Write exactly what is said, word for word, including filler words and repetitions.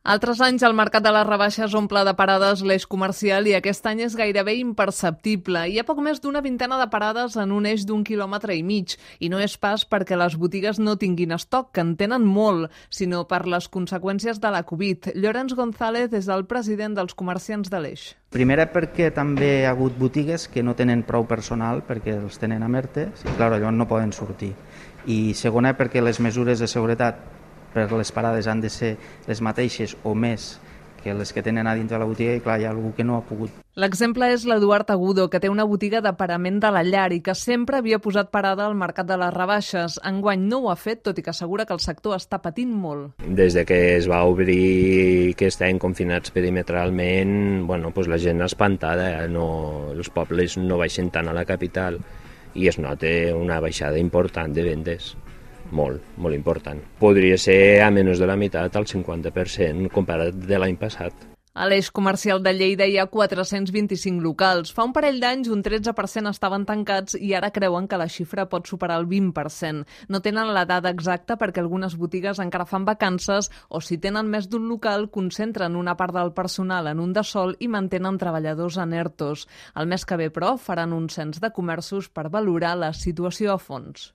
Altres anys el mercat de les rebaixes omple de parades l'eix comercial i aquest any és gairebé imperceptible. Hi ha poc més d'una vintena de parades en un eix d'un quilòmetre i mig. I no és pas perquè les botigues no tinguin estoc, que en tenen molt, sinó per les conseqüències de la Covid. Llorenç González és el president dels comerciants de l'eix. Primera perquè també hi ha hagut botigues que no tenen prou personal perquè els tenen a ERTE i clar, llavors no poden sortir. I segona perquè les mesures de seguretat per les parades han de ser les mateixes o més que les que tenen a dintre de la botiga i clar, hi ha algú que no ha pogut. L'exemple és l'Eduard Agudo, que té una botiga de parament de la llar i que sempre havia posat parada al mercat de les rebaixes. Enguany no ho ha fet, tot i que assegura que el sector està patint molt. Des de que es va obrir, que estem confinats perimetralment, bueno, pues la gent espantada, no, els pobles no baixen tant a la capital i es nota una baixada important de vendes. Molt, molt important. Podria ser a menys de la meitat, al cinquanta per cent, comparat de l'any passat. A l'eix comercial de Lleida hi ha quatre-cents vint-i-cinc locals. Fa un parell d'anys un tretze per cent estaven tancats i ara creuen que la xifra pot superar el vint per cent. No tenen la dada exacta perquè algunes botigues encara fan vacances o si tenen més d'un local concentren una part del personal en un de sol i mantenen treballadors en ERTOs. El mes que ve, però, faran un cens de comerços per valorar la situació a fons.